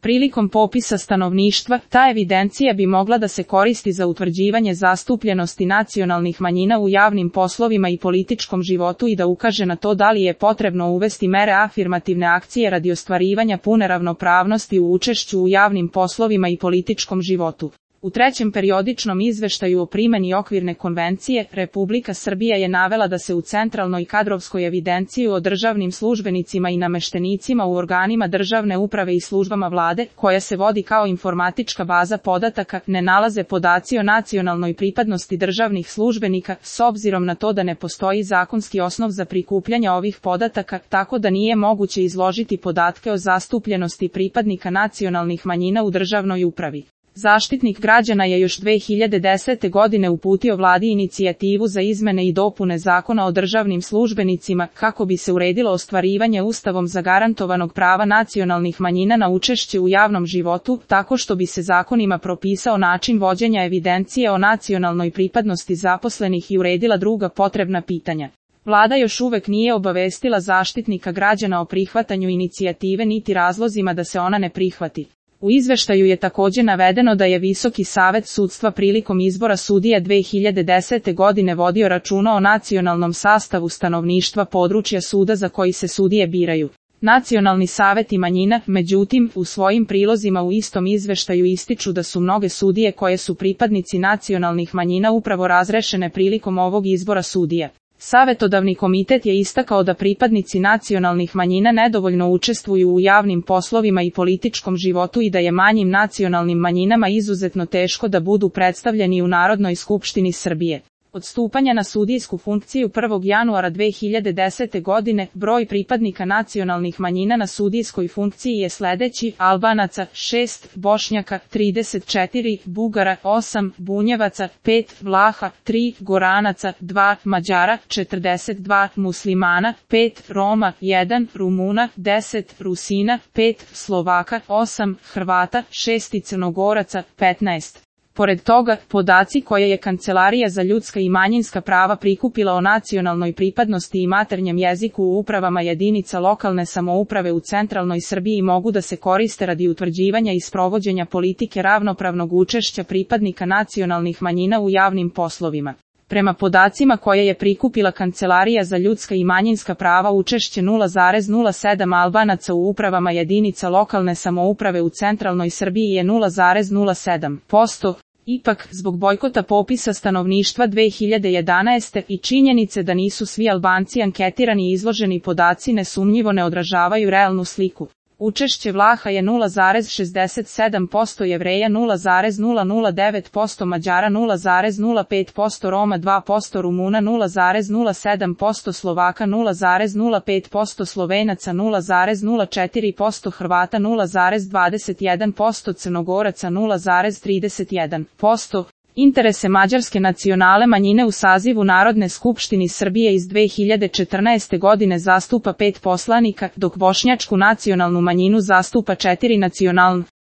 Prilikom popisa stanovništva, ta evidencija bi mogla da se koristi za utvrđivanje zastupljenosti nacionalnih manjina u javnim poslovima i političkom životu i da ukaže na to da li je potrebno uvesti mere afirmativne akcije radi ostvarivanja pune ravnopravnosti u učešću u javnim poslovima i političkom životu. U trećem periodičnom izveštaju o primeni okvirne konvencije, Republika Srbija je navela da se u centralnoj kadrovskoj evidenciji o državnim službenicima i nameštenicima u organima državne uprave i službama vlade, koja se vodi kao informatička baza podataka, ne nalaze podaci o nacionalnoj pripadnosti državnih službenika, s obzirom na to da ne postoji zakonski osnov za prikupljanje ovih podataka, tako da nije moguće izložiti podatke o zastupljenosti pripadnika nacionalnih manjina u državnoj upravi. Zaštitnik građana je još 2010. godine uputio vladi inicijativu za izmene i dopune Zakona o državnim službenicima kako bi se uredilo ostvarivanje Ustavom zagarantovanog prava nacionalnih manjina na učešće u javnom životu, tako što bi se zakonima propisao način vođenja evidencije o nacionalnoj pripadnosti zaposlenih i uredila druga potrebna pitanja. Vlada još uvek nije obavestila Zaštitnika građana o prihvatanju inicijative niti razlozima da se ona ne prihvati. U izveštaju je također navedeno da je Visoki savet sudstva prilikom izbora sudija 2010. godine vodio računa o nacionalnom sastavu stanovništva područja suda za koji se sudije biraju. Nacionalni saveti manjina, međutim, u svojim prilozima u istom izveštaju ističu da su mnoge sudije koje su pripadnici nacionalnih manjina upravo razrešene prilikom ovog izbora sudija. Savetodavni komitet je istakao da pripadnici nacionalnih manjina nedovoljno učestvuju u javnim poslovima i političkom životu i da je manjim nacionalnim manjinama izuzetno teško da budu predstavljeni u Narodnoj skupštini Srbije. Od stupanja na sudijsku funkciju 1. januara 2010. godine, broj pripadnika nacionalnih manjina na sudijskoj funkciji je sledeći: Albanaca 6, Bošnjaka 34, Bugara 8, Bunjevaca 5, Vlaha 3, Goranaca 2, Mađara 42, Muslimana 5, Roma 1, Rumuna 10, Rusina 5, Slovaka 8, Hrvata 6 i Crnogoraca 15. Pored toga, podaci koje je Kancelarija za ljudska i manjinska prava prikupila o nacionalnoj pripadnosti i maternjem jeziku u upravama jedinica lokalne samouprave u centralnoj Srbiji mogu da se koriste radi utvrđivanja i sprovođenja politike ravnopravnog učešća pripadnika nacionalnih manjina u javnim poslovima. Prema podacima koje je prikupila Kancelarija za ljudska i manjinska prava, učešće 0,07 Albanaca u upravama jedinica lokalne samouprave u centralnoj Srbiji je 0,07%. Ipak, zbog bojkota popisa stanovništva 2011. i činjenice da nisu svi Albanci anketirani i izloženi podaci nesumnjivo ne odražavaju realnu sliku. Učešće Vlaha je 0,67%, Jevreja 0,009%, Mađara 0,05%, Roma 2%, Rumuna 0,07%, Slovaka 0,05%, Slovenaca 0,04%, Hrvata 0,21%, Crnogoraca 0,31%. Interese mađarske nacionalne manjine u sazivu Narodne skupštine Srbije iz 2014. godine zastupa 5 poslanika, dok bošnjačku nacionalnu manjinu zastupa 4 nacionalna.